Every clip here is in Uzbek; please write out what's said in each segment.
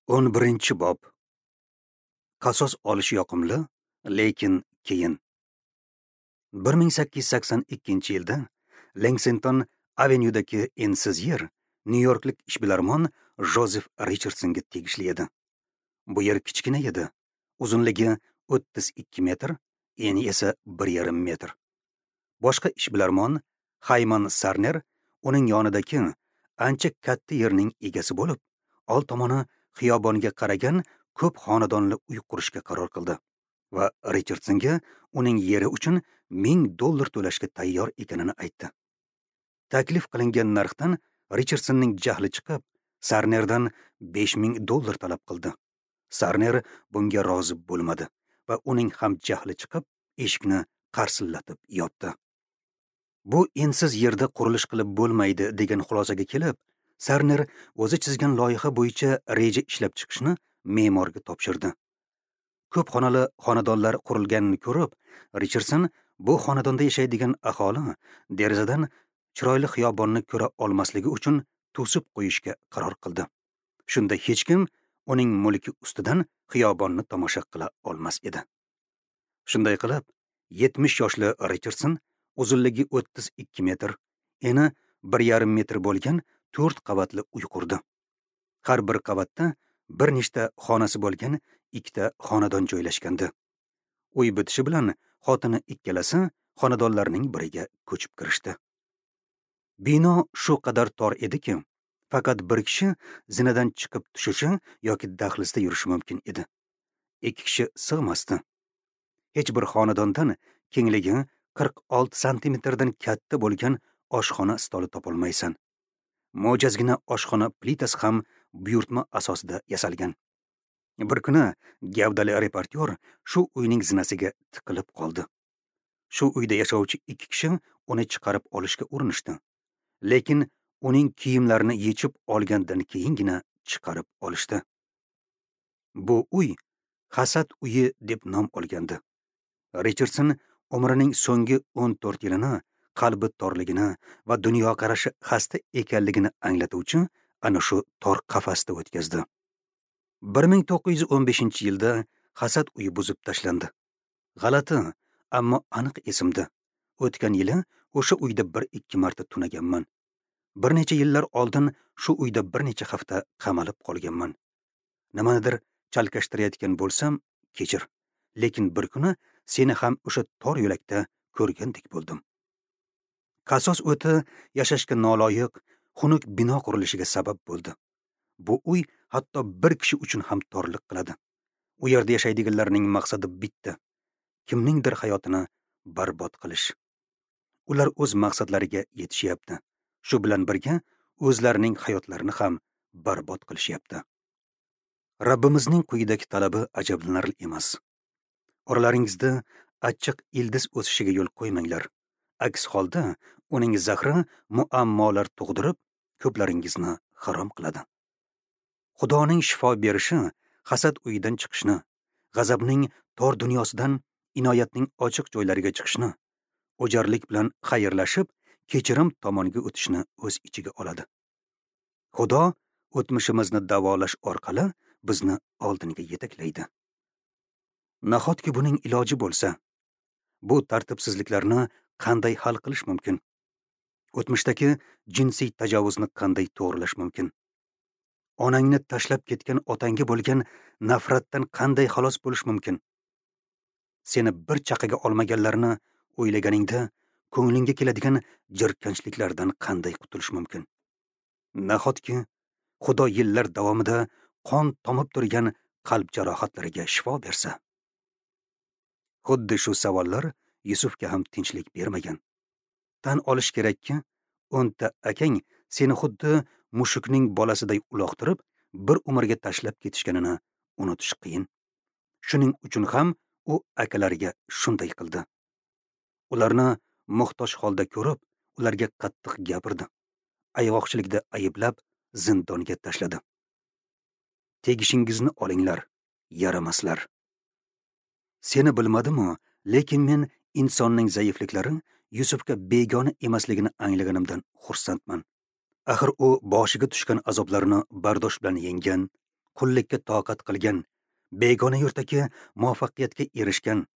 11-bob. Qasos olish yoqimli, lekin keyin. 1882-yilda Lexington Avenyudagi ensiz yer Nyu-Yorklik ishbilarmon Jozef Richardsonga tegishli edi. Bu yer kichkina edi. Uzunligi 32 metr, eni esa 1,5 metr. Boshqa ishbilarmon Hayman Sarner uning yonidagi ancha katta yerning egasi bo'lib, old tomoni xiyobonga qaragan ko'p xonadonli uy qurishga qaror qildi va Richardsonga uning yeri uchun $1000 to'lashga tayyor ekanini aytdi. Taklif qilingan narxdan Richardsonning jahli chiqib, Sarnerdan $5000 talab qildi. Sarner bunga rozi bo'lmadi va uning ham jahli chiqib, eshikni qarsillatib yopdi. Bu ensiz yerda qurilish qilib bo'lmaydi degan xulosaga kelib, Sarner o'zi chizgan loyiha bo'yicha reja ishlab chiqishni me'morga topshirdi. Ko'p xonali xonadonlar qurilganini ko'rib, Richardson bu xonadonda yashaydigan aholi derazadan chiroyli xiyobonni ko'ra olmasligi uchun to'sib qo'yishga qaror qildi. Shunda hech kim uning mulki ustidan xiyobonni tomosha qila olmas edi. Shunday qilib, 70 yoshli Richardson uzunligi 32 metr, eni 1,5 metr bo'lgan 4 qavatli uy qurdi. Har bir qavatda bir nechta xonasi bo'lgan 2 xonadon joylashgandi. Uy bitishi bilan xotini ikkalasi xonadonlarning biriga ko'chib kirishdi. Bino shu qadar tor ediki, faqat bir kishi zinadan chiqib tushishi yoki dahlizda yurishi mumkin edi. 2 kishi sig'masdi. Hech bir xonadondan kengligi 46 santimetrdan katta bo'lgan oshxona stoli topolmaysan. Mo'jazgina oshxona plitasi ham buyurtma asosida yasalgan. Bir kuni gavdali reportyor shu uyning zinasiga tiqilib qoldi. Shu uyda yashovchi 2 kishi uni chiqarib olishga urinishdi. Lekin uning kiyimlarini yechib olgandan keyingina chiqarib olishdi. Bu uy Hasad uyi deb nom olgandi. Richardson umrining so'nggi 14 yilini qalbi torligini va dunyoqarashi xasta ekanligini anglatuvchi ana shu tor qafasda o'tkazdi. 1915-yilda Hasad uyi buzib tashlandi. G'alati, ammo aniq esimda. O'tgan yili o'sha uyda 1-2 marta tunaganman. Bir necha yillar oldin shu uyda bir necha hafta qamalib qolganman. Nimanidir chalkashtirayotgan bo'lsam, kechir. Lekin bir kuni seni ham o'sha tor yo'lakda ko'rgandek bo'ldim. Qasos o'ti yashashga noloyiq, xunuk bino qurilishiga sabab bo'ldi. Bu uy hatto bir kishi uchun ham torlik qiladi. U yerda yashaydiganlarning maqsadi bitta: kimningdir hayotini barbod qilish. Ular o'z maqsadlariga yetishyapti. Shu bilan birga o'zlarining hayotlarini ham barbod qilishyapti. Rabbimizning quyidagi talabi ajablanarli emas. Oralaringizda achchiq ildiz o'sishiga yo'l qo'ymanglar. Aks holda uning zahri muammolar tug'dirib, ko'plaringizni harom qiladi. Xudoning shifo berishi hasad uyidan chiqishni, g'azabning tor dunyosidan inoyatning ochiq joylariga chiqishni, o'jarlik bilan xayrlashib, kechirim tomonga o'tishni o'z ichiga oladi. Xudo o'tmishimizni davolash orqali bizni oldinga yetaklaydi. Nahotki buning iloji bo'lsa? Bu tartibsizliklarni qanday hal qilish mumkin? O'tmishdagi jinsiy tajovuzni qanday to'g'rilash mumkin? Onangni tashlab ketgan otangga bo'lgan nafratdan qanday xalos bo'lish mumkin? Seni bir chaqaga olmaganlarni o'ylaganingda ko'nglingga keladigan jirkanchliklardan qanday qutulish mumkin? Nahotki Xudo yillar davomida qon tomib turgan qalb jarohatlariga shifo bersa? Xuddi shu savollar Yusufga ham tinchlik bermagan. Tan olish kerakki, 10 ta akang seni xuddi mushukning bolasiday uloqtirib, bir umrga tashlab ketishganini unutish qiyin. Shuning uchun ham u akalariga shunday qildi. Ularni muhtoj holda ko'rib, ularga qattiq gapirdi. Ayg'oqchilikda ayblab, zindonga tashladi. Tegishingizni olinglar, yaramaslar. Seni bilmadim-u, lekin men insonning zaifliklari Yusufga begona emasligini anglaganimdan xursandman. Axir u boshiga tushgan azoblarni bardosh bilan yenggan, Qullikka toqat qilgan, begona yurtdagi muvaffaqiyatga erishgan,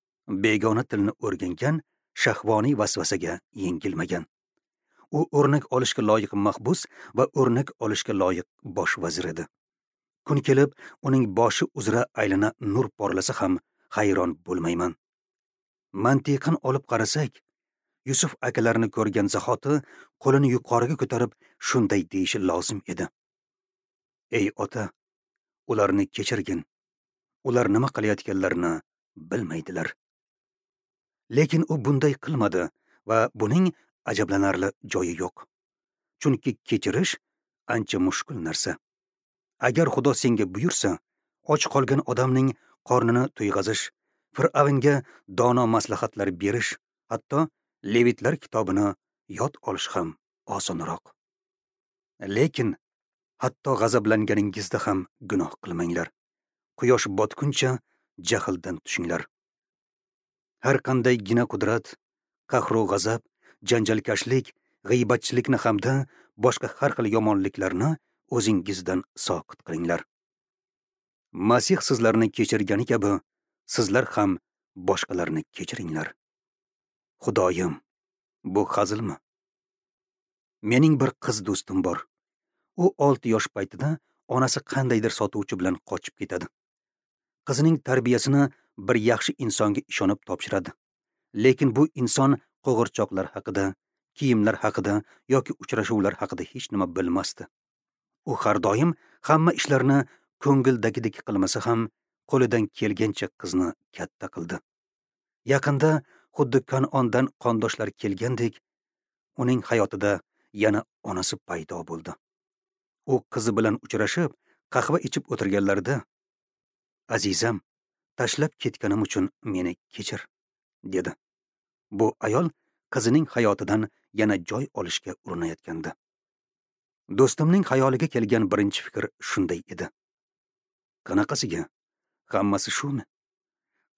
begona tilni o'rgangan, shahvoniy vasvasaga yengilmagan. U o'rnak olishga loyiq mahbus va o'rnak olishga loyiq bosh vazir edi. Kun kelib, uning boshi uzra aylana nur porlasa ham hayron bo'lmayman. Mantiqan olib qarasak, Yusuf akalarini ko'rgan zahoti qo'lini yuqoriga ko'tarib shunday deyishi lozim edi: "Ey ota, ularni kechirgin. Ular nima qilayotganlarini bilmaydilar." Lekin u bunday qilmadi va buning ajablanarli joyi yo'q. Chunki kechirish ancha mushkul narsa. Agar Xudo senga buyursa, och qolgan odamning qornini to'yg'azish, Fir'avnga dono maslahatlar berish, hatto Levitlar kitobini yod olish ham osonroq. Lekin hatto g'azablanganingizda ham gunoh qilmanglar. Quyosh botguncha jahldan tushinglar. Har qanday gina qudrat, qahru g'azab, janjalkashlik, g'iybatchilikni hamda boshqa har xil yomonliklarni o'zingizdan soqit qilinglar. Masih sizlarni kechirgani kabi, sizlar ham boshqalarni kechiringlar. Xudoyim, bu hazilmi? Mening bir qiz do'stim bor. U 6 yosh paytida onasi qandaydir sotuvchi bilan qochib ketadi. Qizining tarbiyasini bir yaxshi insonga ishonib topshiradi. Lekin bu inson qo'g'irchoqlar haqida, kiyimlar haqida yoki uchrashuvlar haqida hech nima bilmasdi. U har doim hamma ishlarni ko'ngildagidek qilmasa ham, qo'lidan kelgancha qizni katta qildi. Yaqinda xuddi Kanondan qondoshlar kelgandek, uning hayotida yana onasi paydo bo'ldi. U qizi bilan uchrashib, qahva ichib o'tirganlarida, "Azizam, tashlab ketganim uchun meni kechir", dedi. Bu ayol qizining hayotidan yana joy olishga urinayotgandi. Do'stimning xayoliga kelgan birinchi fikr shunday edi: "Qanaqasiga? Hammasi shumi?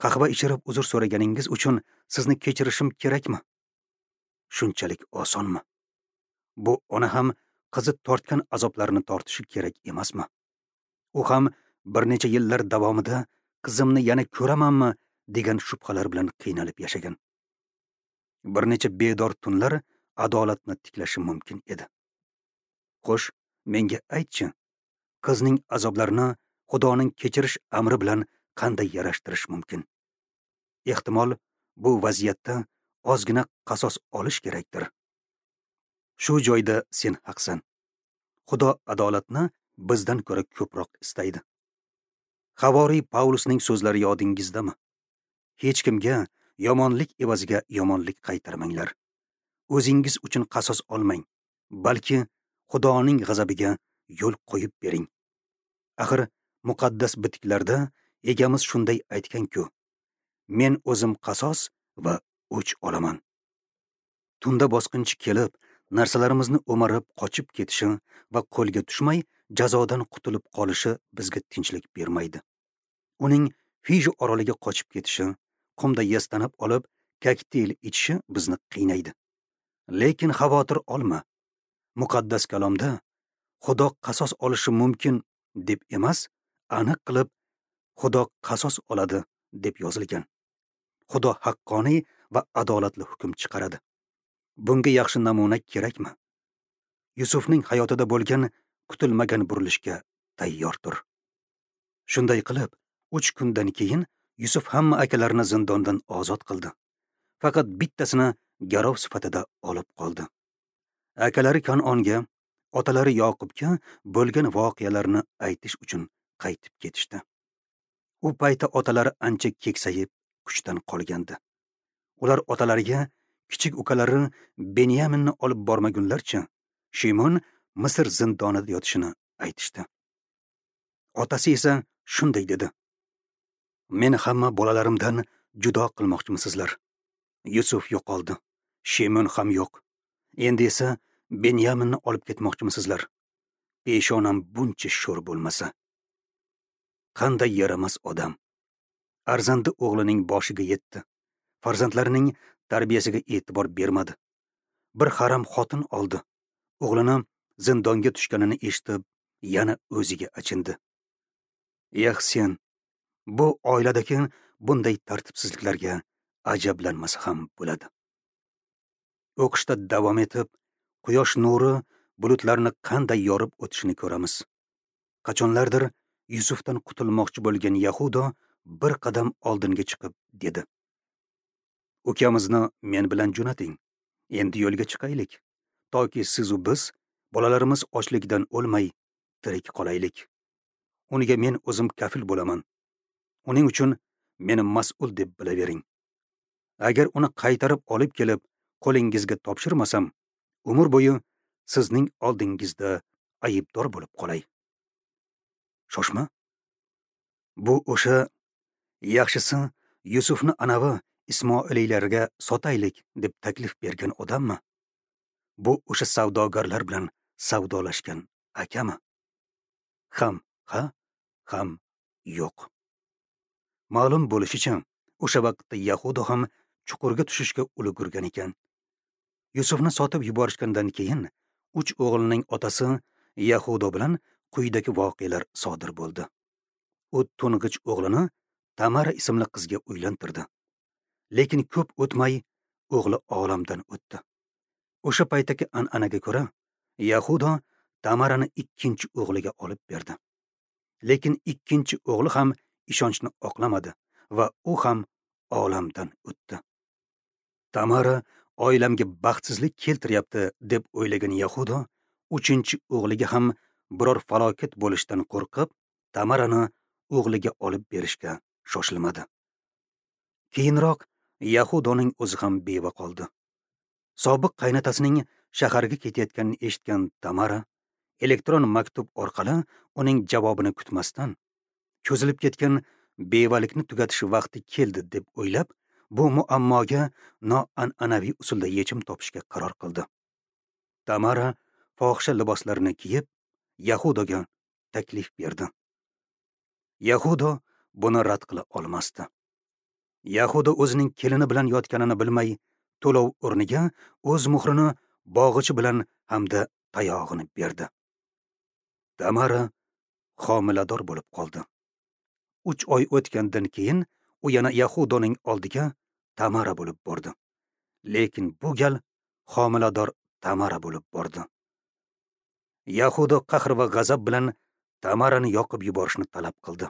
Qahva ichirib uzr so'raganingiz uchun sizni kechirishim kerakmi? Shunchalik osonmi? Bu ona ham qizi tortgan azoblarni tortishi kerak emasmi? U ham bir necha yillar davomida qizimni yana ko'ramanmi degan shubhalar bilan qiynalib yashagan. Bir necha bedor tunlar adolatni tiklashi mumkin edi. Xo'sh, menga aytchi, qizning azoblarini Xudoning kechirish amri bilan qanday yarashtirish mumkin? Ehtimol, bu vaziyatda ozgina qasos olish kerakdir. Shu joyda sen haqsan. Xudo adolatni bizdan ko'ra ko'proq istaydi. Havoriy Pavlusning so'zlari yodingizdami? Hech kimga yomonlik evaziga yomonlik qaytarmanglar. O'zingiz uchun qasos olmang, balki Xudoning g'azabiga yo'l qo'yib bering. Axir muqaddas bitiklarda egamiz shunday aytgan-ku: Men o'zim qasos va o'ch olaman. Tunda bosqinchi kelib, narsalarimizni o'marib qochib ketishi va qo'lga tushmay jazodan qutulib qolishi bizga tinchlik bermaydi. Uning Fiji oroliga qochib ketishi, qumda yastanib olib kokteyl ichishi bizni qiynaydi. Lekin xavotir olma. Muqaddas kalomda Xudo qasos olishi mumkin deb emas, aniq qilib Xudo qasos oladi deb yozilgan. Xudo haqqoniy va adolatli hukm chiqaradi. Bunga yaxshi namuna kerakmi? Yusufning hayotida bo'lgan kutilmagan burilishga tayyor tur. Shunday qilib, 3 kundan keyin Yusuf hamma akalarini zindondan ozod qildi. Faqat bittasini garov sifatida olib qoldi. Akalari Kanonga, otalari Yoqubga bo'lgan voqealarni aytish uchun qaytib ketishdi. U paytda otalari ancha keksayib, kuchdan qolgandi. Ular otalariga kichik ukalari Benyaminni olib bormagunlarcha Shimon Misr zindonida yotishini aytishdi. Otasi esa shunday dedi: Meni hamma bolalarimdan judo qilmoqchimisizlar? Yusuf yo'qoldi, Shimon ham yo'q. Endi esa Benyaminni olib ketmoqchimisizlar? Peshonam buncha sho'r bo'lmasa. Qanday yaramas odam. Arzandi o'g'lining boshiga yetdi. Farzandlarining tarbiyasiga e'tibor bermadi. Bir haram xotin oldi. O'g'lini zindonga tushganini eshitib, yana o'ziga achindi. Eh sen, bu oiladagi bunday tartibsizliklarga ajablanmasa ham bo'ladi. O'qishda davom etib, quyosh nuri bulutlarni qanday yorib o'tishini ko'ramiz. Qachonlardir Yusufdan qutulmoqchi bo'lgan Yahudo bir qadam oldinga chiqib dedi: "Ukamizni men bilan jo'nating. Endi yo'lga chiqaylik, toki siz u biz bolalarimiz ochlikdan o'lmay tirik qolaylik. Unga men o'zim kafil bo'laman. Uning uchun meni mas'ul deb bilavering. Agar uni qaytarib olib kelib qo'lingizga topshirmasam, umr bo'yi sizning oldingizda aybdor bo'lib qolay." Shoshma. Bu o'sha yaxshisi Yusufni anavi Ismoiliylarga sotaylik deb taklif bergan odammi? Bu o'sha savdogarlar bilan savdolashgan akami? Ham ha, ham yo'q. Ma'lum bo'lishicha, o'sha vaqtda Yahudo ham chuqurga tushishga ulgurgan ekan. Yusufni sotib yuborishgandan keyin 3 o'g'lining otasi Yahudo bilan quyidagi voqealar sodir bo'ldi. U to'ng'ich o'g'lini Tamara ismli qizga uylantirdi. Lekin ko'p o'tmay o'g'li olamdan o'tdi. O'sha paytdagi an'anaga ko'ra, Yahudo Tamarani ikkinchi o'g'liga olib berdi. Lekin ikkinchi o'g'li ham ishonchni oqlamadi va u ham olamdan o'tdi. Tamara oilamga baxtsizlik keltiryapti deb o'ylagan Yahudo uchinchi o'g'liga ham biror falokat bo'lishidan qo'rqib, Tamarani o'g'liga olib berishga shoshilmadi. Keyinroq Yahudoning o'zi ham beva qoldi. Sobiq qaynotasining shaharga ketayotganini eshitgan Tamara elektron maktub orqali uning javobini kutmasdan, cho'zilib ketgan bevalikni tugatish vaqti keldi deb o'ylab, bu muammoga noan'anaviy usulda yechim topishga qaror qildi. Tamara fohisha liboslarini kiyib, Yahudoga taklif berdi. Yahudo buni rad qila olmasdi. Yahudo o'zining kelini bilan yotganini bilmay, to'lov o'rniga o'z muhrini bog'ichi bilan hamda tayog'ini berdi. Tamara homilador bo'lib qoldi. 3 oy o'tgandan keyin u yana Yahudoning oldiga Tamara bo'lib bordi. Lekin bu gal homilador Tamara bo'lib bordi. Yahudo qahr va g'azab bilan Tamarani yoqib yuborishni talab qildi.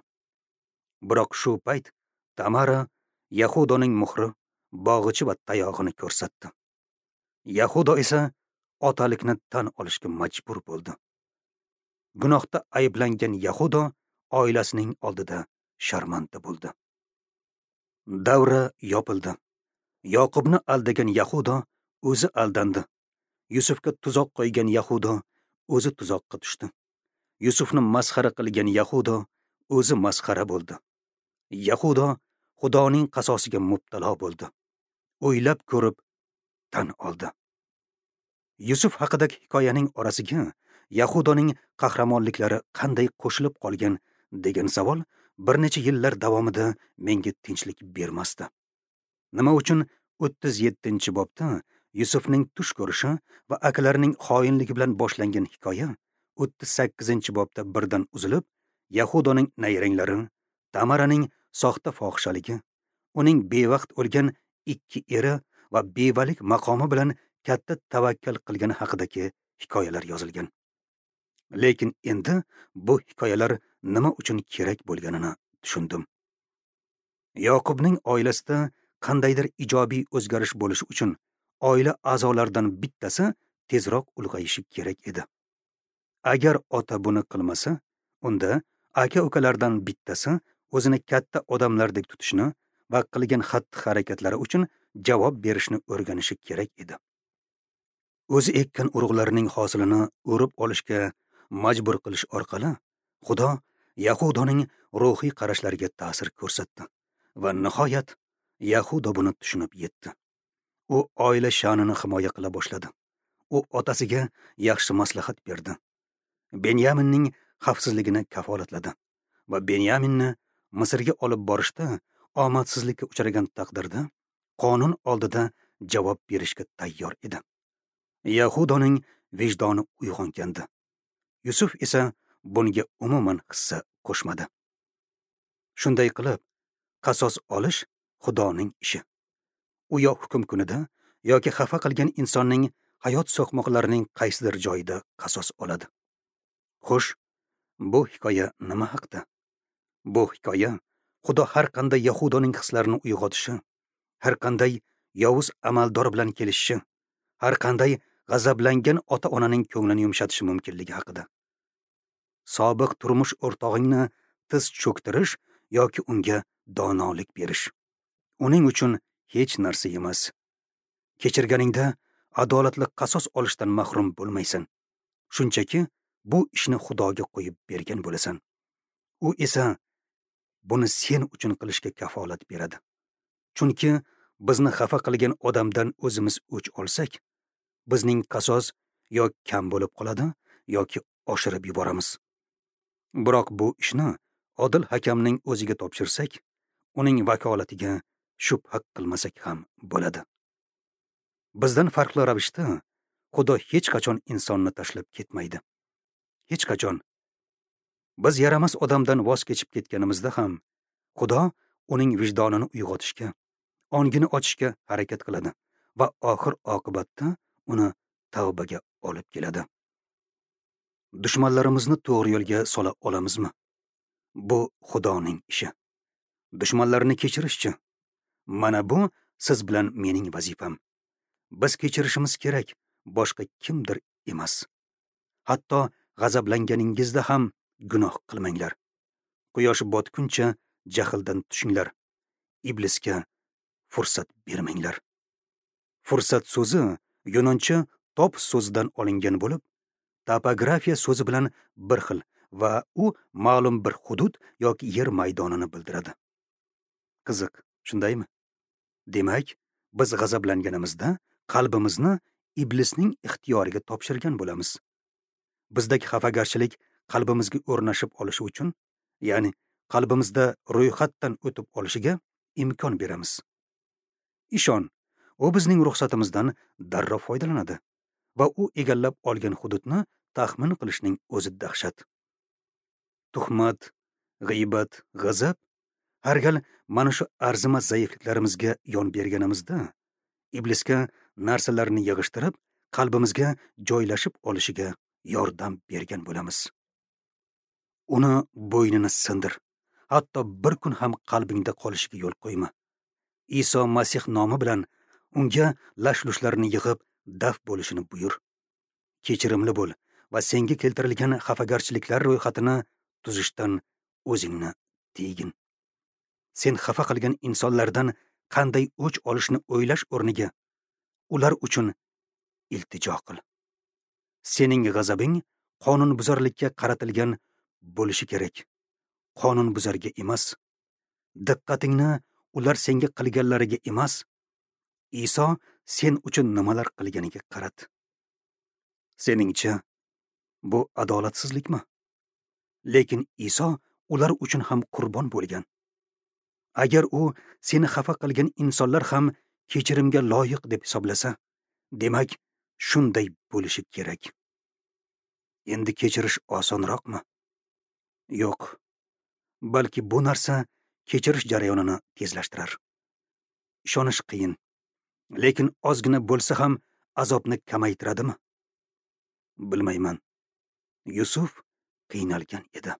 Biroq shu payt Tamara Yahudoning muhri, bog'ichi va tayog'ini ko'rsatdi. Yahudo esa otalikni tan olishga majbur bo'ldi. Gunohda ayblangan Yahudo oilasining oldida sharmanda bo'ldi. Davra yopildi. Yoqubni aldagan Yahudo o'zi aldandi. Yusufga tuzoq qo'ygan Yahudo o'zi tuzoqqa tushdi. Yusufni masxara qilgan Yahudo o'zi masxara bo'ldi. Yahudo Xudoning qasosiga mubtalo bo'ldi. O'ylab ko'rib tan oldi. Yusuf haqidagi hikoyaning orasiga Yahudoning qahramonliklari qanday qo'shilib qolgan degan savol bir necha yillar davomida menga tinchlik bermasdi. Nima uchun 37-bobda Yusufning tush ko'rishi va akalarining xoinligi bilan boshlangan hikoya 38-bobda birdan uzilib, Yahudoning nayranglari, Tamaraning soxta fohishaligi, uning bevaqt o'lgan 2 eri va bevalik maqomi bilan katta tavakkal qilgani haqidagi hikoyalar yozilgan. Lekin endi bu hikoyalar nima uchun kerak bo'lganini tushundim. Yoqubning oilasida qandaydir ijobiy o'zgarish bo'lishi uchun oila a'zolaridan bittasi tezroq ulg'ayishi kerak edi. Agar ota buni qilmasa, unda aka-ukalardan bittasi o'zini katta odamlardek tutishni va qilgan xatti-harakatlari uchun javob berishni o'rganishi kerak edi. O'zi ekkan urug'larning hosilini o'rib olishga majbur qilish orqali Xudo Yahudoning ruhiy qarashlariga ta'sir ko'rsatdi va nihoyat Yahudo buni tushunib yetdi. U oila sha'nini himoya qila boshladi. U otasiga yaxshi maslahat berdi. Benyaminning xavfsizligini kafolatladi va Benyaminni Misrga olib borishda omadsizlikka uchragan taqdirda qonun oldida javob berishga tayyor edi. Yahudoning vijdoni uyg'ongandi. Yusuf esa bunga umuman hissa qo'shmadi. Shunday qilib, qasos olish Xudoning ishi. U yo hukm kunida yoki xafa qilgan insonning hayot so'qmoqlarining qaysidir joyida qasos oladi. Xo'sh, bu hikoya nima haqda? Bu hikoya Xudo har qanday yahudoning hislarini uyg'otishi, har qanday yovuz amaldor bilan kelishishi, har qanday g'azablangan ota-onaning ko'nglini yumshatishi mumkinligi haqida. Sobiq turmush o'rtog'ingni tiz cho'ktirish yoki unga donolik berish uning uchun hech narsa emas. Kechirganingda adolatli qasos olishdan mahrum bo'lmaysan. Shunchaki bu ishni Xudoga qo'yib bergan bo'lasan. U esa buni sen uchun qilishga kafolat beradi. Chunki bizni xafa qilgan odamdan o'zimiz o'ch olsak, bizning qasos yo kam bo'lib qoladi yoki oshirib yuboramiz. Biroq bu ishni odil hakamning o'ziga topshirsak, uning vakolatiga shubha qilmasak ham bo'ladi. Bizdan farqli ravishda Xudo hech qachon insonni tashlab ketmaydi. Hech qachon. Biz yaramas odamdan voz kechib ketganimizda ham Xudo uning vijdonini uyg'otishga, ongini ochishga harakat qiladi va oxir oqibatda uni tavbaga olib keladi. Dushmanlarimizni to'g'ri yo'lga sola olamizmi? Bu Xudoning ishi. Dushmanlarni kechirishchi? Mana bu siz bilan mening vazifam. Biz kechirishimiz kerak, boshqa kimdir emas. Hatto g'azablanganingizda ham gunoh qilmanglar. Quyosh botguncha jahldan tushinglar. Iblisga fursat bermanglar. Fursat so'zi yunoncha top so'zidan olingan bo'lib, topografiya so'zi bilan bir xil va u ma'lum bir hudud yoki yer maydonini bildiradi. Qiziq, shundaymi? Demak, biz g'azablanganimizda qalbimizni iblisning ixtiyoriga topshirgan bo'lamiz. Bizdagi xafagarchilik qalbimizga o'rnashib olishi uchun, ya'ni qalbimizda ro'yxatdan o'tib olishiga imkon beramiz. Ishon, u bizning ruxsatimizdan darrov foydalanadi va u egallab olgan hududni taxmin qilishning o'zi dahshat. Tuhmat, g'iybat, g'azab har gal mana shu arzimas zaifliklarimizga yon berganimizda iblisga narsalarni yig'ishtirib, qalbimizga joylashib olishiga yordam bergan bo'lamiz. Uni bo'ynini sindir. Hatto bir kun ham qalbingda qolishiga yo'l qo'yma. Iso Masih nomi bilan unga lash-lushlarni yig'ib daf bo'lishini buyur. Kechirimli bo'l va senga keltirilgan xafagarchiliklar ro'yxatini tuzishdan o'zingni tiygin. Sen xafa qilgan insonlardan qanday o'ch olishni o'ylash o'rniga ular uchun iltijo qil. Sening g'azabing qonunbuzarlikka qaratilgan bo'lishi kerak, qonunbuzarga emas. Diqqatingni ular senga qilganlariga emas, Iso sen uchun nimalar qilganiga qarat. Seningcha bu adolatsizlikmi? Lekin Iso ular uchun ham qurbon bo'lgan. Agar u seni xafa qilgan insonlar ham kechirimga loyiq deb hisoblasa, demak, shunday bo'lishi kerak. Endi kechirish osonroqmi? Yo'q. Balki bu narsa kechirish jarayonini tezlashtirar. Ishonish qiyin, lekin ozgina bo'lsa ham azobni kamaytiradimi? Bilmayman. Yusuf qiynalgan edi.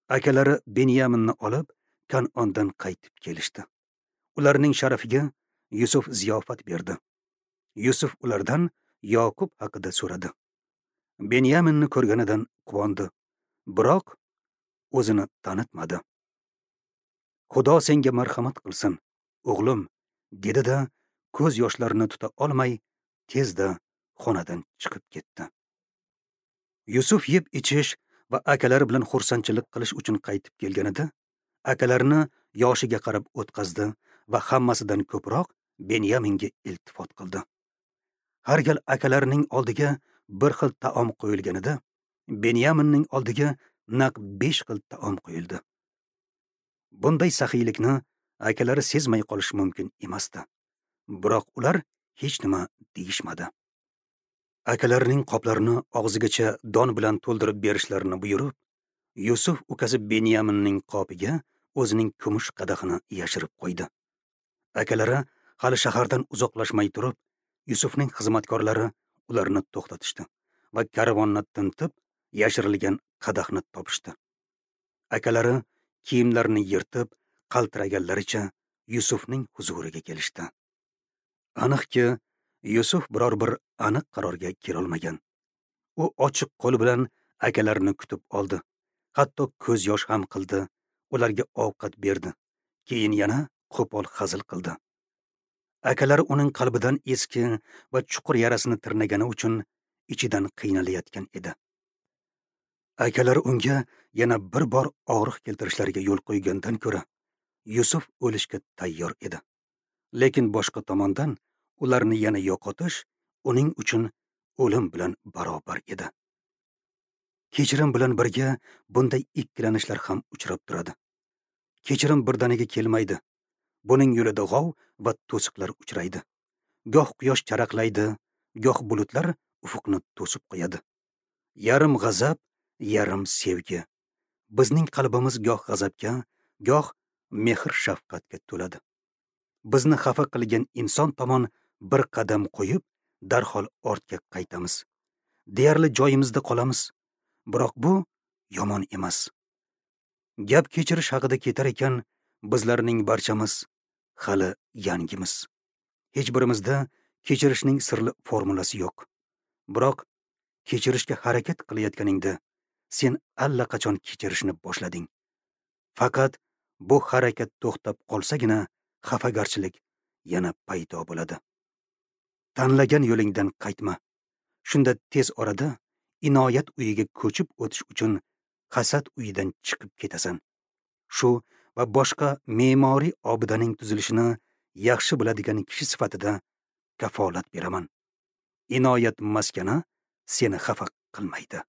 Akalari Benyaminni olib Kanondan qaytib kelishdi. Ularning sharafiga Yusuf ziyofat berdi. Yusuf ulardan Yoqub haqida so'radi. Benyaminni ko'rganidan quvondi, biroq o'zini tanitmadi. Xudo senga marhamat qilsin, o'g'lim, dedi-da, ko'z yoshlarini tuta olmay tezda xonadan chiqib ketdi. Yusuf yeb ichish va akalari bilan xursandchilik qilish uchun qaytib kelganida, akalarini yoshiga qarab o'tqazdi va hammasidan ko'proq Benyaminga iltifot qildi. Har gal akalarining oldiga bir xil taom qo'yilganida, Benyaminning oldiga naq 5 xil taom qo'yildi. Bunday saxiylikni akalari sezmay qolish mumkin emasdi. Biroq ular hech nima deyishmadi. Akalarining qoplarini og'zigacha don bilan to'ldirib berishlarini buyurib, Yusuf ukasi Benyaminning qopiga o'zining kumush qadahini yashirib qo'ydi. Akalari hali shahardan uzoqlashmay turib, Yusufning xizmatkorlari ularni to'xtatishdi va karvonni tintib, yashirilgan qadahni topishdi. Akalari kiyimlarini yirtib, qaltiraganlaricha Yusufning huzuriga kelishdi. Aniqki, Yusuf biror bir aniq qarorga kelolmagan. U ochiq qo'l bilan akalarini kutib oldi. Hatto ko'z yosh ham qildi, ularga ovqat berdi. Keyin yana qo'pol hazil qildi. Akalari uning qalbidan eski va chuqur yarasini tirnagani uchun ichidan qiynalayotgan edi. Akalari unga yana bir bor og'riq keltirishlariga yo'l qo'ygandan ko'ra, Yusuf o'lishga tayyor edi. Lekin boshqa tomondan ularni yana yo'qotish uning uchun o'lim bilan barobar edi. Kechirim bilan birga bunday ikkilanishlar ham uchrab turadi. Kechirim birdaniga kelmaydi. Buning yo'lida g'ov va to'siqlar uchraydi. Goh quyosh charaqlaydi, goh bulutlar ufuqni to'sib qo'yadi. Yarim g'azab, yarim sevgi. Bizning qalbimiz goh g'azabga, goh mehr shafqatga to'ladi. Bizni xafa qilgan inson tomon bir qadam qo'yib, darhol ortga qaytamiz. Deyarli joyimizda qolamiz. Biroq bu yomon emas. Gap kechirish haqida ketar ekan, bizlarning barchamiz hali yangimiz. Hech birimizda kechirishning sirli formulasi yo'q. Biroq kechirishga harakat qilayotganingda sen allaqachon kechirishni boshlading. Faqat bu harakat to'xtab qolsagina xafagarchilik yana paydo bo'ladi. Tanlagan yo'lingdan qaytma. Shunda tez orada inoyat uyiga ko'chib o'tish uchun hasad uyidan chiqib ketasan. Shu va boshqa me'moriy obidaning tuzilishini yaxshi biladigan kishi sifatida kafolat beraman. Inoyat maskani seni xafa qilmaydi.